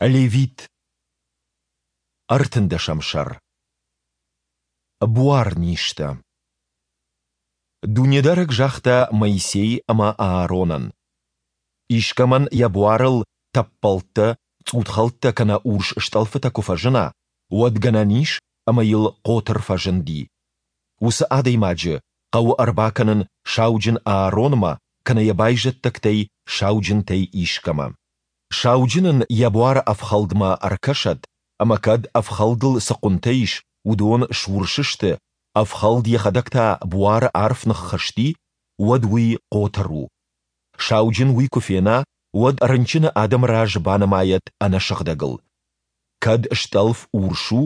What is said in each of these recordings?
Левит. Ӕртындӕсӕм сӕр. Буарнизтӕ. Дунедарӕг загъта Моисей ӕмӕ Ааронӕн: Искӕмӕн йӕ буарыл тӕппӕлттӕ, цъутхӕлттӕ кӕнӕ урс стъӕлфытӕ куы фӕзына, уӕд гӕнӕн ис, ӕмӕ йыл хъотыр фӕзынди. Уыцы адӕймаджы хъӕуы ӕрбакӕнын сауджын Ааронмӕ кӕнӕ йӕ байзӕддӕгтӕй сауджынтӕй искӕмӕ. Сауджын ын йӕ буары ӕфхӕлдмӕ ӕркӕсӕд, ӕмӕ кӕд ӕфхӕлдыл цы хъуынтӕ ис, уыдон сурс сты, ӕфхӕлд йӕхӕдӕг та буары арф ныххызти, уӕд уый хъотыр у. Сауджын уый куы фена, уӕд рынчыны адӕмы раз банымайӕд ӕнӕсыгъдӕгыл. Кӕд стъӕлф урс у,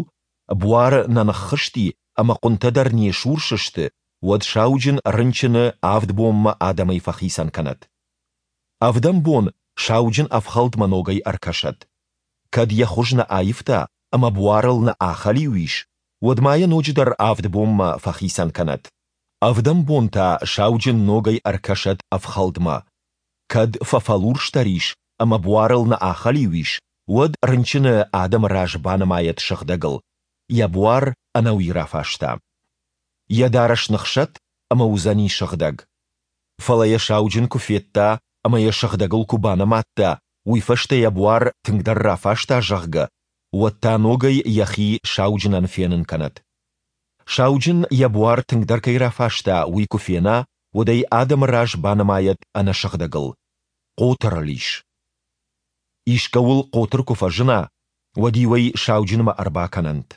буары нӕ ныххызти ӕмӕ хъуынтӕ дӕр не сурс сты, уӕд сауджын рынчыны авд бонмӕ адӕмӕй фӕхицӕн кӕнӕд. Ӕвдӕм бон сауджын ӕфхӕлдмӕ ногӕй ӕркӕсӕд. Кӕд йӕ хуыз нӕ аивта ӕмӕ буарыл нӕ ахӕлиу ис, уӕд ма йӕ ноджыдӕр авд бонмӕ фӕхицӕн кӕнӕд. Ӕвдӕм бон та сауджын ногӕй ӕркӕсӕд ӕфхӕлдмӕ. Кӕд фӕфӕлурсдӕр ис ӕмӕ буарыл нӕ ахӕлиу ис, уӕд рынчыны адӕмы раз банымайӕд сыгъдӕгыл, йӕ буар ӕнӕуи рафаста. Йӕ дарӕс ныхсӕд ӕмӕ уыдзӕни сыгъдӕг. Фӕлӕ йӕ сауджын куы федта ӕмӕ йӕ сыгъдӕгыл куы банымадта, уый фӕстӕ йӕ буар тынгдӕр рафаста, зӕгъгӕ, уӕд та ногӕй йӕхи сауджынӕн фенын кӕнӕд. Сауджын йӕ буар тынгдӕр кӕй рафаста, уый куы фена, уӕд ӕй адӕмы раз банымайӕд ӕнӕсыгъдӕгыл. Хъотыр ыл ис. Искӕуыл хъотыр куы фӕзына, уӕд-иу ӕй сауджынмӕ ӕрбакӕнӕнт.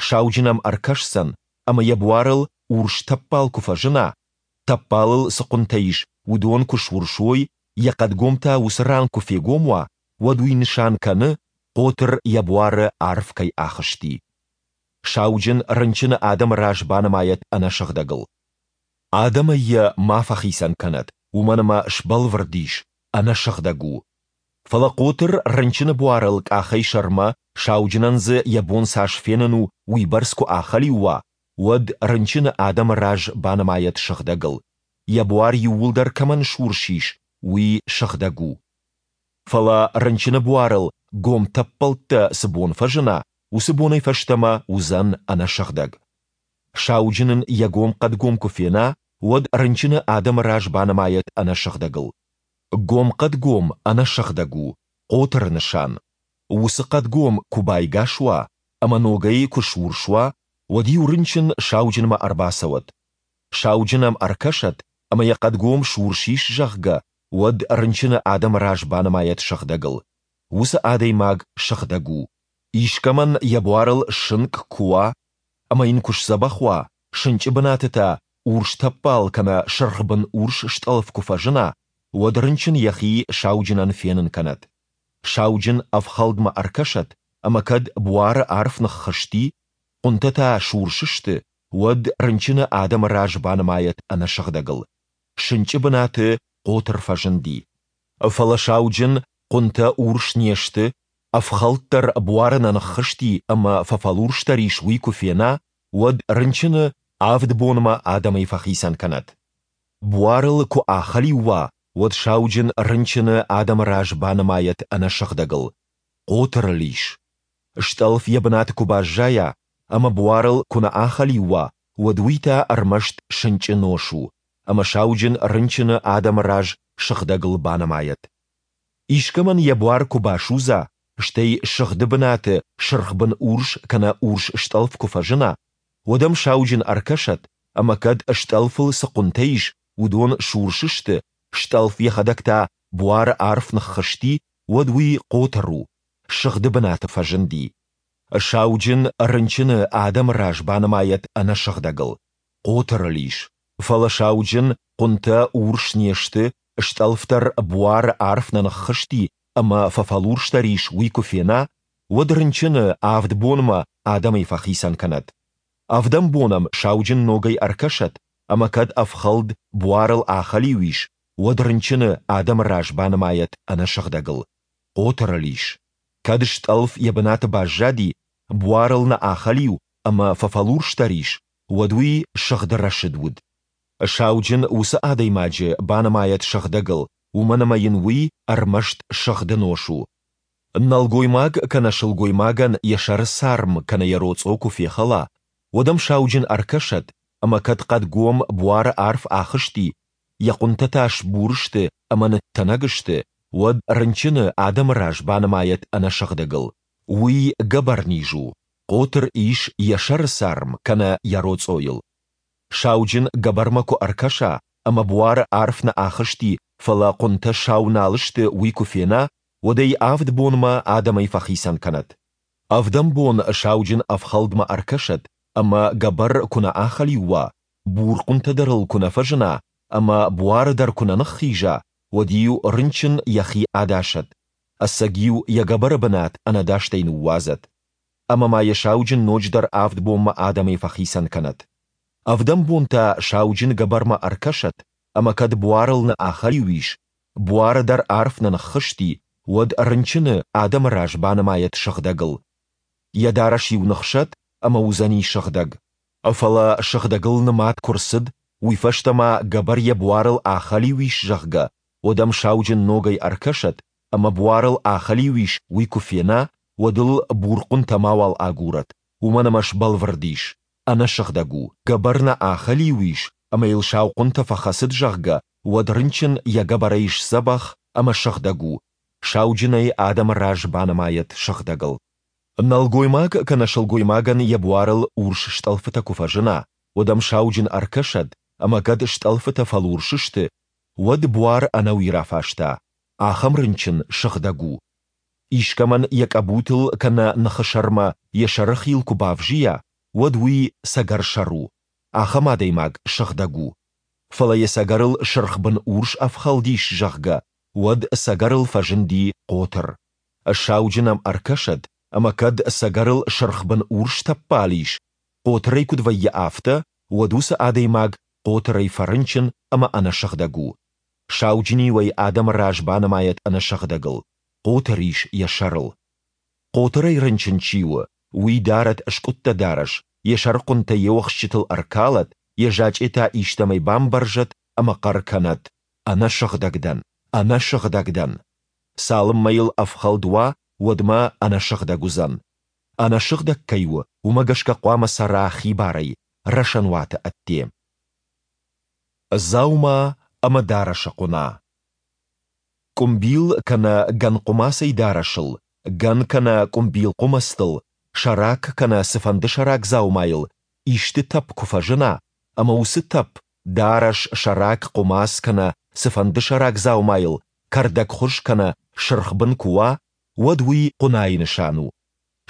Сауджын ӕм ӕркӕсдзӕн, ӕмӕ йӕ буарыл урс тӕппал куы фӕзына, тӕппалыл цы хъуынтӕ ис, уыдон куы сурс уой, йӕ хъӕдгом та уыцы ран куы фегом уа, уӕд уый нысан кӕны, хъотыр йӕ буары арф кӕй ахызти. Сауджын рынчыны адӕмы раз банымайӕд ӕнӕсыгъдӕгыл. Адӕмӕй йӕ ма фӕхицӕн кӕнӕд, уымӕн ӕмӕ сбӕлвырд ис, ӕнӕсыгъдӕг у. Фӕлӕ хъотыр рынчыны буарыл къахӕй сӕрмӕ, сауджынӕн дзы йӕ бон цас фенын у, уыйбӕрц куы ахӕлиу уа, уӕд рынчыны адӕмы раз банымайӕд сыгъдӕгыл, йӕ буар иууылдӕр кӕмӕн сурс ис, уый сыгъдӕг у. Фӕлӕ рынчыны буарыл гом тӕппӕлттӕ цы бон фӕзына, уыцы бонӕй фӕстӕмӕ уыдзӕн ӕнӕсыгъдӕг. Сауджын ын йӕ гом хъӕдгом куы фена, уӕд рынчыны адӕмы раз банымайӕд ӕнӕсыгъдӕгыл. Гом хъӕдгом ӕнӕсыгъдӕг у, хъотыры нысан. Уыцы хъӕдгом куы байгас уа ӕмӕ ногӕй куы сурс уа, уӕд-иу рынчын сауджынмӕ ӕрбацӕуӕд. Сауджын ӕм ӕркӕсӕд ӕмӕ йӕ хъӕдгом сурс ис, зӕгъгӕ, уӕд рынчыны адӕмы раз банымайӕд сыгъдӕгыл. Уыцы адӕймаг сыгъдӕг у. Искӕмӕн йӕ буарыл сынкъ куы уа ӕмӕ йын куы сдзӕбӕх уа, сынчъы бынаты та урс тӕппал кӕнӕ сырхбын урс стъӕлф куы фӕзына, уӕд рынчын йӕхи сауджынӕн фенын кӕнӕд. Сауджын ӕфхӕлдмӕ ӕркӕсӕд, ӕмӕ кӕд буары арф ныххызти, хъуынтӕ та сурс сты, уӕд рынчыны адӕмы раз банымайӕд ӕнӕсыгъдӕгыл. Сынчъы бынаты хъотыр фӕзынди. Фӕлӕ сауджын хъуынтӕ урс не сты, ӕфхӕлд дӕр буары нӕ ныххызти ӕмӕ фӕфӕлурсдӕр ис, уый куы фена, уӕд рынчыны авд бонмӕ адӕмӕй фӕхицӕн кӕнӕд. Буарыл куы ахӕлиу уа, уӕд сауджын рынчыны адӕмы раз банымайӕд ӕнӕсыгъдӕгыл, хъотыр ыл ис. Стъӕлф йӕ бынаты куы баззайа ӕмӕ буарыл куы нӕ ахӕлиу уа, уӕд уый та ӕрмӕст сынчъы нос у, ӕмӕ сауджын рынчыны адӕмы раз сыгъдӕгыл банымайӕд. Искӕмӕн йӕ буар куы басудза, стӕй сыгъды бынаты сырхбын урс кӕнӕ урс стъӕлф куы фӕзына, уӕд ӕм сауджын ӕркӕсӕд, ӕмӕ кӕд стъӕлфыл цы хъуынтӕ ис, уыдон сурс сты, стъӕлф йӕхӕдӕг та буары арф ныххызти, уӕд уый хъотыр у, сыгъды бынаты фӕзынди. Сауджын рынчыны адӕмы раз банымайӕд ӕнӕсыгъдӕгыл, хъотыр ыл ис, фӕлӕ сауджын хъуынтӕ урс не сты, стъӕлф дӕр буары арф нӕ ныххызти ӕмӕ фӕфӕлурсдӕр ис, уый куы фена, уӕд рынчыны авд бонмӕ адӕмӕй фӕхицӕн кӕнӕд. Ӕвдӕм бон ӕм сауджын ногӕй ӕркӕсӕд, ӕмӕ кӕд ӕфхӕлд буарыл ахӕлиу ис, уӕд рынчыны адӕмы раз банымайӕд ӕнӕсыгъдӕгыл, хъотыр ыл ис. Кӕд стъӕлф йӕ бынаты баззади, буарыл нӕ ахӕлиу ӕмӕ фӕфӕлурсдӕр ис, уӕд уый сыгъды рӕсыд уыд. Сауджын уыцы адӕймаджы банымайӕд сыгъдӕгыл, уымӕн ӕмӕ йын уый ӕрмӕст сыгъды нос у. Нӕлгоймаг кӕнӕ сылгоймагӕн йӕ сӕры царм кӕнӕ йӕ роцъо куы фехӕла, уӕд ӕм сауджын ӕркӕсӕд, ӕмӕ кӕд хъӕдгом буары арф ахызти, йӕ хъуынтӕ та сбур сты ӕмӕ ныттӕнӕг сты, уӕд рынчыны адӕмы раз банымайӕд ӕнӕсыгъдӕгыл. Уый гӕбӕрниз у, хъотыр ис йӕ сӕры царм кӕнӕ йӕ роцъойыл. Сауджын гӕбӕрмӕ куы ӕркӕса, ӕмӕ буары арф нӕ ахызти, фӕлӕ хъуынтӕ сау нал сты, уый куы фена, уӕд ӕй авд бонмӕ адӕмӕй фӕхицӕн кӕнӕд. Ӕвдӕм бон сауджын ӕфхӕлдмӕ ӕркӕсӕд, ӕмӕ гӕбӕр куы нӕ ахӕлиу уа, бур хъуынтӕ дӕр ыл куы нӕ фӕзына ӕмӕ буары дӕр куы нӕ ныххиза, уӕд-иу рынчын йӕхи адасӕд, ӕцӕг-иу йӕ гӕбӕры бынат ӕнӕдастӕй ныууадзӕд. Ӕмӕ ма йӕ сауджын ноджыдӕр авд бонмӕ адӕмӕй фӕхицӕн кӕнӕд. Ӕвдӕм бон та сауджын гӕбӕрмӕ ӕркӕсӕд, ӕмӕ кӕд буарыл нӕ ахӕлиу ис, буары дӕр арф нӕ ныххызти, уӕд рынчыны адӕмы раз банымайӕд сыгъдӕгыл. Йӕ дарӕс-иу ныхсӕд ӕмӕ уыдзӕни сыгъдӕг. Фӕлӕ сыгъдӕгыл нымад куы рцыд, уый фӕстӕ ма гӕбӕр йӕ буарыл ахӕлиу ис, зӕгъгӕ, уӕд ӕм сауджын ногӕй ӕркӕсӕд ӕмӕ буарыл ахӕлиу ис, уый куы фена, уӕд ыл бур хъуынтӕ мауал агурӕд, уымӕн ӕмӕ сбӕлвырд ис, ӕнӕсыгъдӕг у. Гӕбӕр нӕ ахӕлиу ис ӕмӕ йыл сау хъуынтӕ фӕхӕцыд, зӕгъгӕ, уӕд рынчын йӕ гӕбӕрӕй сдзӕбӕх ӕмӕ сыгъдӕг у, сауджын ӕй адӕмы раз банымайӕд сыгъдӕгыл. Нӕлгоймаг кӕнӕ сылгоймагӕн йӕ буарыл урс стъӕлфытӕ куы фӕзына, уӕд ӕм сауджын ӕркӕсӕд, ӕмӕ кӕд стъӕлфытӕ фӕлурс сты, уӕд буар ӕнӕуи рафаста, ахӕм рынчын сыгъдӕг у. Искӕмӕн йӕ къӕбутыл кӕнӕ ныхы сӕрмӕ йӕ сӕры хил куы бавзийа, уӕд уый цӕгӕрсӕр у, ахӕм адӕймаг сыгъдӕг у. Фӕлӕ йӕ цӕгӕрыл сырхбын урс ӕфхӕлд ис, зӕгъгӕ, уӕд цӕгӕрыл фӕзынди хъотыр. Сауджын ӕм ӕркӕсӕд, ӕмӕ кӕд цӕгӕрыл сырхбын урс тӕппал ис, хъотырӕй куыд вӕййы, афтӕ, уӕд уыцы адӕймаг хъотырӕй фӕрынчын ӕмӕ ӕнӕсыгъдӕг у. Сауджын-иу ӕй адӕмы раз банымайӕд ӕнӕсыгъдӕгыл, хъотыр ис йӕ сӕрыл. Хъотырӕй рынчын чи у, уый дарӕд скъуыдтӕ дарӕс, йӕ сӕрыхъуынтӕ йе уӕхсчытыл ӕркалӕд, йӕ зачъетӕ истӕмӕй бамбӕрзӕд ӕмӕ хъӕр кӕнӕд, Ӕнӕсыгъдӕг дӕн! Ӕнӕсыгъдӕг дӕн! Цалынмӕ йыл ӕфхӕлд уа, уӕдмӕ ӕнӕсыгъдӕг уыдзӕн. Ӕнӕсыгъдӕг кӕй у, уымӕ гӕсгӕ хъуамӕ цӕра хибарӕй, рӕсӕнуаты ӕдде. Дзаума ӕмӕ дарӕсы хъуына. Къуымбил кӕнӕ гӕн хъуымацӕй дарӕсыл, гӕн кӕнӕ къуымбил хъуымӕцтыл, сӕрак кӕнӕ цыфӕнды сӕрак дзаумайыл исты тӕпп куы фӕзына, ӕмӕ уыцы тӕпп дарӕс, сӕрак, хъуымац кӕнӕ цыфӕнды сӕрак дзаумайыл кӕрдӕгхуыз кӕнӕ сырхбын куы уа, уӕд уый хъуынайы нысан у.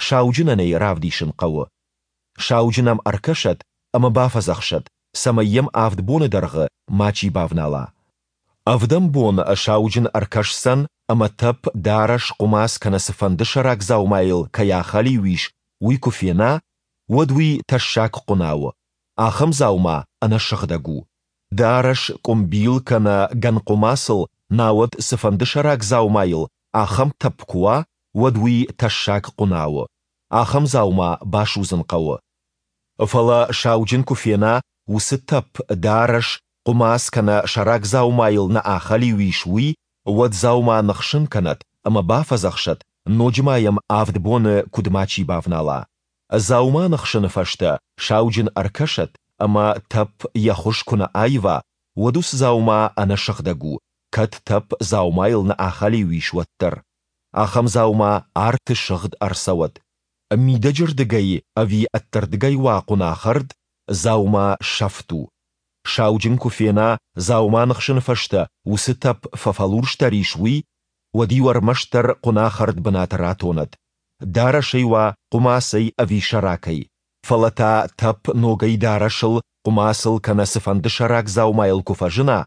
Сауджынӕн ӕй равдисын хъӕуы. Сауджын ӕм ӕркӕсӕд ӕмӕ бафӕдзӕхсӕд, цӕмӕй йӕм авд боны дӕргъы мачи бавнала. Ӕвдӕм бон сауджын ӕркӕсдзӕн ӕмӕ тӕпп, дарӕс, хъуымац кӕнӕ цыфӕнды сӕрак дзаумайыл кӕй ахӕлиу ис, уый куы фена, уӕд уый тӕссаг хъуына у, ахӕм дзаума ӕнӕсыгъдӕг у. Дарӕс, къуымбил кӕнӕ гӕнхъуымацыл, науӕд цыфӕнды сӕрак дзаумайыл ахӕм тӕпп куы уа, уӕд уый тӕссаг хъуына у. Ахӕм дзаума басудзын хъӕуы. Фӕлӕ сауджын куы фена, уыцы тӕпп, дарӕс, хъуымац кӕнӕ сӕрак дзаумайыл нӕ ахӕлиу ис, уый, уӕд дзаума ныхсын кӕнӕд ӕмӕ бафӕдзӕхсӕд, ноджы ма йӕм авд боны куыд мачи бавнала. Дзаума ныхсыны фӕстӕ сауджын ӕркӕсӕд, ӕмӕ тӕпп йӕ хуыз куы нӕ аива, уӕд уыцы дзаума ӕнӕсыгъдӕг у, кӕд тӕпп дзаумайыл нӕ ахӕлиу ис, уӕддӕр. Ахӕм дзаума арты сыгъд ӕрцӕуӕд. Мидӕджырдыгӕй ӕви ӕддӕрдыгӕй уа хъуынахӕрд, дзаума сӕфт у. Сауджын куы фена, дзаума ныхсыны фӕстӕ уыцы тӕпп фӕфӕлурсдӕр ис, уый, уӕд-иу ӕрмӕстдӕр хъуынахӕрд бынат ратонӕд, дарӕсӕй уа хъуымацӕй ӕви сӕракӕй, фӕлӕ та тӕпп ногӕй дарӕсыл, хъуымацыл кӕнӕ цыфӕнды сӕрак дзаумайыл куы фӕзына,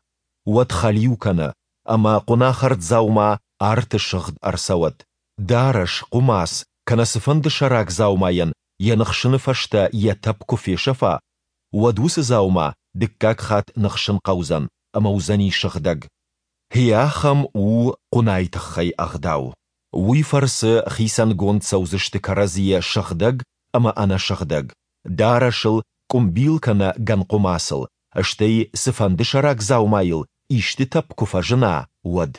уӕд хӕлиу кӕны, ӕмӕ хъуынахӕрд дзаума арты сыгъд ӕрцӕуӕд. Дарӕс, хъуымац кӕнӕ цыфӕнды сӕрак дзаумайӕн йӕ ныхсыны фӕстӕ йӕ тӕпп куы фесӕфа, уӕд уыцы дзаума дыккаг хатт ныхсын хъӕудзӕн ӕмӕ уыдзӕни сыгъдӕг. Гъе ахӕм у хъуынайы тыххӕй ӕгъдау. Уый фӕрцы хицӕнгонд цӕудзысты кӕрӕдзийӕ сыгъдӕг ӕмӕ ӕнӕсыгъдӕг, дарӕсыл, къуымбил кӕнӕ гӕнхъуымацыл, стӕй цыфӕнды сӕрак дзаумайыл исты тӕпп куы фӕзына, уӕд.